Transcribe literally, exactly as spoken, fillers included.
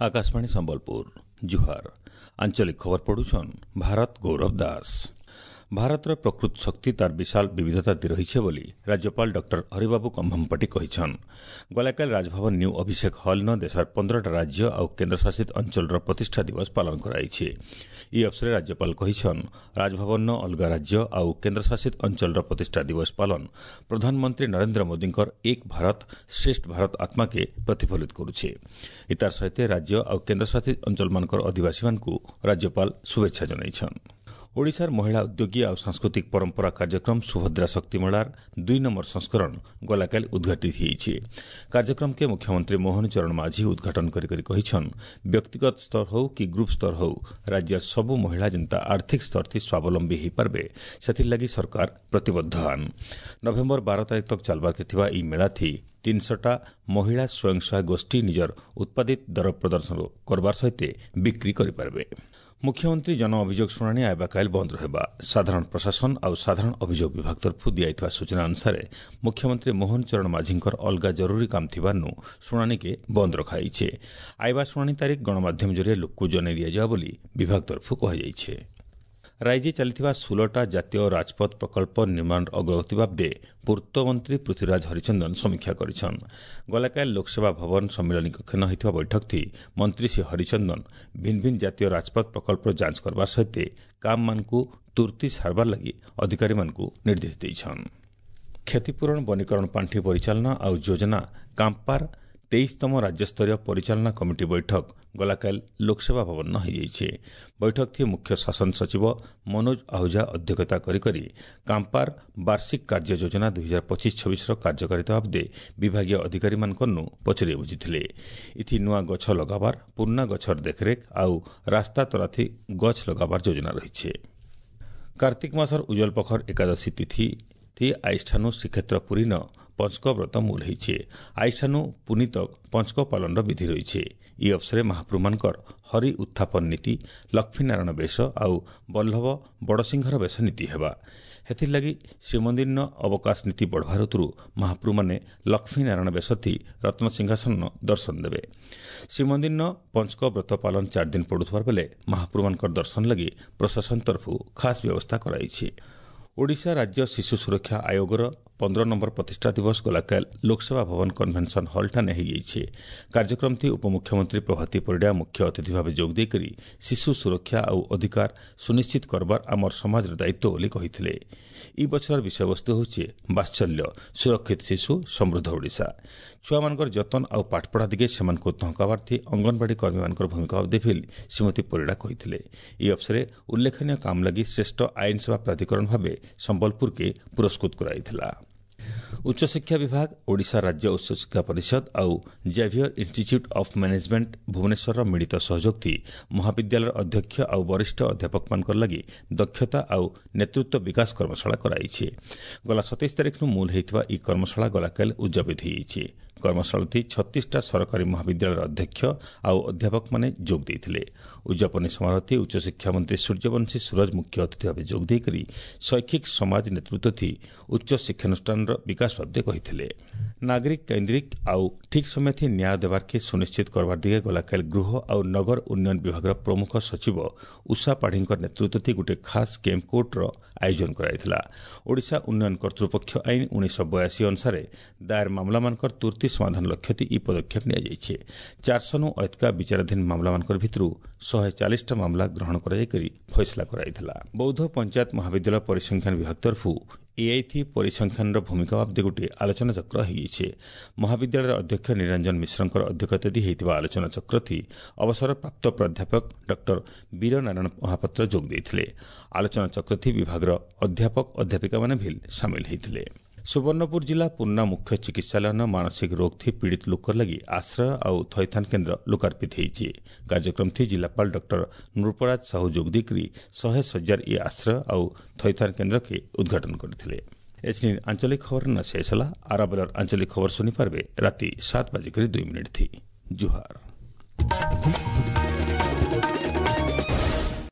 ଆକାଶବାଣୀ ସମ୍ବଲପୁର ଜୁହାର ଆଞ୍ଚଳିକ ଖବର ପଢୁଛନ୍ ଭାରତ ଗୌରବ ଦାସ ଭାରତର ପ୍ରକୃତ ଶକ୍ତି ତାର ବିଶାଳ ବିବିଧତା ରହିছে ବୋଲି ରାଜ୍ୟପାଳ ଡକ୍ଟର ହରିବାବୁ କମ୍ଭମପାଟି କହିଛନ୍ ଗଲାକାଲି ରାଜଭବନ ନ୍ୟୁ ଅଭିଷେକ ହଲ୍ନ ଦେଶର ପନ୍ଦରଟା ରାଜ୍ୟ ଆଉ କେନ୍ଦ୍ରଶାସିତ ଅଞ୍ଚଳର ପ୍ରତିଷ୍ଠା ଦିବସ ପାଳନ କରାଯାଇଛି ଏହି ଅବସରରେ ରାଜ୍ୟପାଳ କହିଛନ୍ ରାଜଭବନର ଅଲଗା ରାଜ୍ୟ ଆଉ କେନ୍ଦ୍ରଶାସିତ ଅଞ୍ଚଳର ପ୍ରତିଷ୍ଠା ଦିବସ ପାଳନ ପ୍ରଧାନମନ୍ତ୍ରୀ ନରେନ୍ଦ୍ର ମୋଦିଙ୍କର ଏକ ଭାରତ ଶ୍ରେଷ୍ଠ ଭାରତ ଆତ୍ମାକେ ପ୍ରତିଫଳିତ କରୁଛେ ଇତାର ସହିତ ରାଜ୍ୟ ଆଉ କେନ୍ଦ୍ରଶାସିତ ଅଞ୍ଚଳମାନଙ୍କର ଅଧିବାସୀମାନଙ୍କୁ ରାଜ୍ୟପାଳ ଶୁଭେଚ୍ଛା ଜଣାଇଛନ୍ ଓଡ଼ିଶାର ମହିଳା ଉଦ୍ୟୋଗୀ ଆଉ ସାଂସ୍କୃତିକ ପରମ୍ପରା କାର୍ଯ୍ୟକ୍ରମ ସୁଭଦ୍ରା ଶକ୍ତି ମେଳାର ଦୁଇ ନମ୍ବର ସଂସ୍କରଣ ଗଲାକାଲି ଉଦ୍ଘାଟିତ ହୋଇଛି କାର୍ଯ୍ୟକ୍ରମକେ ମୁଖ୍ୟମନ୍ତ୍ରୀ ମୋହନ ଚରଣ ମାଝୀ ଉଦ୍ଘାଟନ କରି କରି କହିଛନ୍ ବ୍ୟକ୍ତିଗତ ସ୍ତର ହେଉ କି ଗ୍ରୁପ୍ ସ୍ତର ହେଉ ରାଜ୍ୟର ସବୁ ମହିଳା ଯେନ୍ତା ଆର୍ଥିକ ସ୍ତର ଥି ସ୍ୱାବଲମ୍ବୀ ହୋଇପାରିବେ ସେଥିର୍ଲାଗି ସରକାର ପ୍ରତିବଦ୍ଧ ଆନ୍ ନଭେମ୍ବର ବାର ତାରିଖ ତକ୍ ଚାଲବାର୍କେ ଥିବା ଏହି ମେଳାଥି ତିନିଶହଟା ମହିଳା ସ୍ୱୟଂ ସହାୟକ ଗୋଷ୍ଠୀ ନିଜର ଉତ୍ପାଦିତ ଦର ପ୍ରଦର୍ଶନ କରବାର ସହିତ ବିକ୍ରି କରିପାରିବେ ମୁଖ୍ୟମନ୍ତ୍ରୀ ଜନ ଅଭିଯୋଗ ଶୁଣାଣି ଆଇବାକାଇଲ ବନ୍ଦ ରହିବା ସାଧାରଣ ପ୍ରଶାସନ ଆଉ ସାଧାରଣ ଅଭିଯୋଗ ବିଭାଗ ତରଫରୁ ଦିଆଯାଇଥିବା ସୂଚନା ଅନୁସାରେ ମୁଖ୍ୟମନ୍ତ୍ରୀ ମୋହନ ଚରଣ ମାଝୀଙ୍କର ଅଲଗା ଜରୁରୀ କାମ ଥିବାରୁ ଶୁଣାଣିକେ ବନ୍ଦ ରଖାଯାଇଛି ଆଇବା ଶୁଣାଣି ତାରିଖ ଗଣମାଧ୍ୟମ ଜରିଆରେ ଲୋକକୁ ଜଣାଇ ଦିଆଯିବ ବୋଲି ବିଭାଗ ତରଫରୁ କୁହାଯାଇଛି ରାଜ୍ୟରେ ଚାଲିଥିବା ଷୋହଳଟା ଜାତୀୟ ରାଜପଥ ପ୍ରକଳ୍ପ ନିର୍ମାଣ ଅଗ୍ରଗତି ବାବଦେ ପୂର୍ତ୍ତମନ୍ତ୍ରୀ ପୃଥ୍ୱୀରାଜ ହରିଚନ୍ଦନ ସମୀକ୍ଷା କରିଛନ୍ ଗଲାକାଲି ଲୋକସେବା ଭବନ ସମ୍ମିଳନୀ କକ୍ଷନ ହୋଇଥିବା ବୈଠକଥି ମନ୍ତ୍ରୀ ଶ୍ରୀ ହରିଚନ୍ଦନ ଭିନ୍ନ ଭିନ୍ନ ଜାତୀୟ ରାଜପଥ ପ୍ରକଳ୍ପର ଯାଞ୍ଚ କରବାର ସହିତ କାମମାନଙ୍କୁ ତୁର୍ତ୍ତି ସାରବାର ଲାଗି ଅଧିକାରୀମାନଙ୍କୁ ନିର୍ଦ୍ଦେଶ ଦେଇଛନ୍ କ୍ଷତିପୂରଣ ବନୀକରଣ ପାଣ୍ଠି ପରିଚାଳନା ଆଉ ଯୋଜନା କାମ୍ପାର ତେଇଶତମ ରାଜ୍ୟସ୍ତରୀୟ ପରିଚାଳନା କମିଟି ବୈଠକ ଗଲାକାଲି ଲୋକସେବା ଭବନ ହୋଇଯାଇଛି ବୈଠକଥି ମୁଖ୍ୟ ଶାସନ ସଚିବ ମନୋଜ ଆହୁଜା ଅଧ୍ୟକ୍ଷତା କରି କରି କାମ୍ପାର ବାର୍ଷିକ କାର୍ଯ୍ୟ ଯୋଜନା ଦୁଇ ହଜାର ପଚିଶ ଛବିଶର କାର୍ଯ୍ୟକାରିତା ବାବଦେ ବିଭାଗୀୟ ଅଧିକାରୀମାନଙ୍କନୁ ପଚରି ବୁଝିଥିଲେ ଇଥି ନୂଆ ଗଛ ଲଗାବାର ପୁରୁଣା ଗଛର ଦେଖରେଖ ଆଉ ରାସ୍ତା ତରାଥି ଗଛ ଲଗାବାର ଯୋଜନା ରହିଛି କାର୍ତ୍ତିକ ମାସର ଉଜ୍ଜଳ ପଖର ଏକାଦଶୀ ତିଥି ଥି ଆଇଷ୍ଠାନୁ ଶ୍ରୀକ୍ଷେତ୍ର ପୁରୀନ ପଞ୍ଚକ ବ୍ରତ ମୂଲ ହେଇଛେ ଆଇଷ୍ଠାନୁ ପୁନିତ ପଞ୍ଚକ ପାଳନର ବିଧି ରହିছে ଇ ଅବସରେ ମହାପ୍ରଭୁମାନଙ୍କର ହରି ଉତ୍ଥାପନ ନୀତି ଲକ୍ଷ୍ମୀନାରାୟଣ ବେଶ ଆଉ ବଲ୍ଲଭ ବଡ଼ସିଂହର ବେଶ ନୀତି ହେବା ହେଥିର୍ଲାଗି ଶ୍ରୀମନ୍ଦିରନ ଅବକାଶ ନୀତି ବଢ଼ବାର ଋତୁରୁ ମହାପ୍ରଭୁମାନେ ଲକ୍ଷ୍ମୀନାରାୟଣ ବେଶଥି ରତ୍ନସିଂହାସନ ଦର୍ଶନ ଦେବେ ଶ୍ରୀମନ୍ଦିରନ ପଞ୍ଚକ ବ୍ରତ ପାଳନ ଚାରି ଦିନ ପଡ଼ୁଥିବାର ବେଲେ ମହାପ୍ରଭୁମାନଙ୍କର ଦର୍ଶନ ଲାଗି ପ୍ରଶାସନ ତରଫରୁ ଖାସ୍ ବ୍ୟବସ୍ଥା କରାଯାଇଛି ଓଡ଼ିଶା ରାଜ୍ୟ ଶିଶୁ ସୁରକ୍ଷା ଆୟୋଗର ପନ୍ଦର ନମ୍ବର ପ୍ରତିଷ୍ଠା ଦିବସ ଗଲାକାଲି ଲୋକସେବା ଭବନ କନଭେନସନ୍ ହଲ୍ଠାନେ ହୋଇଯାଇଛି କାର୍ଯ୍ୟକ୍ରମଥି ଉପମୁଖ୍ୟମନ୍ତ୍ରୀ ପ୍ରଭାତୀ ପରିଡ଼ା ମୁଖ୍ୟ ଅତିଥି ଭାବେ ଯୋଗ ଦେଇକରି ଶିଶୁ ସୁରକ୍ଷା ଆଉ ଅଧିକାର ସୁନିଶ୍ଚିତ କରବାର ଆମର ସମାଜର ଦାୟିତ୍ୱ ବୋଲି କହିଥିଲେ ଇ ବଛରର ବିଷୟବସ୍ତୁ ହେଉଛି ବାତ୍ସଲ୍ୟ ସୁରକ୍ଷିତ ଶିଶୁ ସମୃଦ୍ଧ ଓଡ଼ିଶା ଛୁଆମାନଙ୍କର ଯତ୍ନ ଆଉ ପାଠପଢ଼ା ଦିଗେ ସେମାନଙ୍କୁ ଧଙ୍କାବାର୍ଥୀ ଅଙ୍ଗନବାଡ଼ି କର୍ମୀମାନଙ୍କର ଭୂମିକା ବାବଦେ ଶ୍ରୀମତୀ ପରିଡ଼ା କହିଥିଲେ ଏହି ଅବସରରେ ଉଲ୍ଲେଖନୀୟ କାମ ଲାଗି ଶ୍ରେଷ୍ଠ ଆଇନ ସେବା ପ୍ରାଧିକରଣ ଭାବେ ସମ୍ବଲପୁରକେ ପୁରସ୍କୃତ କରାଯାଇଥିଲା ଉଚ୍ଚଶିକ୍ଷା ବିଭାଗ ଓଡ଼ିଶା ରାଜ୍ୟ ଉଚ୍ଚଶିକ୍ଷା ପରିଷଦ ଆଉ ଜାଭିୟର ଇନ୍ଷ୍ଟିଚ୍ୟୁଟ୍ ଅଫ୍ ମ୍ୟାନେଜମେଣ୍ଟ ଭୁବନେଶ୍ୱରର ମିଳିତ ସହଯୋଗଥି ମହାବିଦ୍ୟାଳୟର ଅଧ୍ୟକ୍ଷ ଆଉ ବରିଷ୍ଠ ଅଧ୍ୟାପକମାନଙ୍କର ଲାଗି ଦକ୍ଷତା ଆଉ ନେତୃତ୍ୱ ବିକାଶ କର୍ମଶାଳା କରାଯାଇଛି ଗଲା ସତେଇଶ ତାରିଖରୁ ମୂଲ ହୋଇଥିବା ଏହି କର୍ମଶାଳା ଗଲାକାଲି ଉଦ୍ଯାପିତ ହୋଇଯାଇଛି କର୍ମଶାଳାଥି ଛତିଶଟା ସରକାରୀ ମହାବିଦ୍ୟାଳୟର ଅଧ୍ୟକ୍ଷ ଆଉ ଅଧ୍ୟାପକମାନେ ଯୋଗ ଦେଇଥିଲେ ଉଦ୍ଯାପନୀ ସମାରୋହଥି ଉଚ୍ଚଶିକ୍ଷା ମନ୍ତ୍ରୀ ସୂର୍ଯ୍ୟବଂଶୀ ସୂରଜ ମୁଖ୍ୟ ଅତିଥି ଭାବେ ଯୋଗ ଦେଇକରି ଶୈକ୍ଷିକ ସମାଜ ନେତୃତ୍ୱଥି ଉଚ୍ଚ ଶିକ୍ଷାନୁଷ୍ଠାନର ବିକାଶ ବାବଦେ କହିଥିଲେ ନାଗରିକ କେନ୍ଦ୍ରିକ ଆଉ ଠିକ୍ ସମୟଥି ନ୍ୟାୟ ଦେବାର୍କେ ସୁନିଶ୍ଚିତ କରବାର ଦିଗେ ଗଲାକାଲି ଗୃହ ଆଉ ନଗର ଉନ୍ନୟନ ବିଭାଗର ପ୍ରମୁଖ ସଚିବ ଉଷା ପାଢ଼ୀଙ୍କ ନେତୃତ୍ୱଥି ଗୋଟିଏ ଖାସ୍ କ୍ୟାମ୍ପ କୋର୍ଟର ଆୟୋଜନ କରାଯାଇଥିଲା ଓଡ଼ିଶା ଉନ୍ନୟନ କର୍ତ୍ତୃପକ୍ଷ ଆଇନ ଉଣେଇଶହ ବୟାଅଶୀ ଅନୁସାରେ ଦାୟର ମାମଲାମାନଙ୍କର ତୁର୍ତ୍ତି ସମାଧାନ ଲକ୍ଷ୍ୟଥି ଇ ପଦକ୍ଷେପ ନିଆଯାଇଛି ଚାରିଶହନୁ ଅଧିକା ବିଚାରାଧୀନ ମାମଲାମାନଙ୍କର ଭିତରୁ ଶହେ ଚାଳିଶଟା ମାମଲା ଗ୍ରହଣ କରାଯାଇକରି ଫଇସଲା କରାଯାଇଥିଲା ବୌଦ୍ଧ ପଞ୍ଚାୟତ ମହାବିଦ୍ୟାଳୟ ପରିସଂଖ୍ୟାନ ବିଭାଗ ତରଫରୁ ଏଆଇଥି ପରିସଂଖ୍ୟାନର ଭୂମିକା ବାବଦେ ଗୋଟିଏ ଆଲୋଚନାଚକ୍ର ହୋଇଯାଇଛି ମହାବିଦ୍ୟାଳୟର ଅଧ୍ୟକ୍ଷ ନିରଞ୍ଜନ ମିଶ୍ରଙ୍କର ଅଧ୍ୟକ୍ଷତା ଦେଇ ହୋଇଥିବା ଆଲୋଚନାଚକ୍ରଥି ଅବସରପ୍ରାପ୍ତ ପ୍ରାଧ୍ୟାପକ ଡକ୍ଟର ବୀରନାରାୟଣ ମହାପାତ୍ର ଯୋଗ ଦେଇଥିଲେ ଆଲୋଚନାଚକ୍ରଥି ବିଭାଗର ଅଧ୍ୟାପକ ଅଧ୍ୟାପିକାମାନେ ଭିଲ୍ ସାମିଲ ହୋଇଥିଲେ ସୁବର୍ଣ୍ଣପୁର ଜିଲ୍ଲା ପୁର୍ଣ୍ଣା ମୁଖ୍ୟ ଚିକିତ୍ସାଳୟନ ମାନସିକ ରୋଗଥି ପୀଡ଼ିତ ଲୋକର ଲାଗି ଆଶ୍ରୟ ଆଉ ଥଇଥାନ କେନ୍ଦ୍ର ଲୋକାର୍ପିତ ହୋଇଛି କାର୍ଯ୍ୟକ୍ରମଥି ଜିଲ୍ଲାପାଳ ଡକ୍ଟର ନୃପରାଜ ସାହୁ ଯୋଗ ଦେଇକରି ଶହେ ଶଯ୍ୟାର ଇ ଆଶ୍ରୟ ଆଉ ଥଇଥାନ କେନ୍ଦ୍ରକେ ଉଦ୍ଘାଟନ କରିଥିଲେ ଏଛିନି ଆଞ୍ଚଳିକ ଖବର ନ ଶେଷ ହେଲା ଆରାବେଲର ଆଞ୍ଚଳିକ ଖବର ଶୁଣିପାରିବେ ରାତି ସାତ ବାଜିକରି ଦୁଇ ମିନିଟ୍ ଥି ଜୁହାର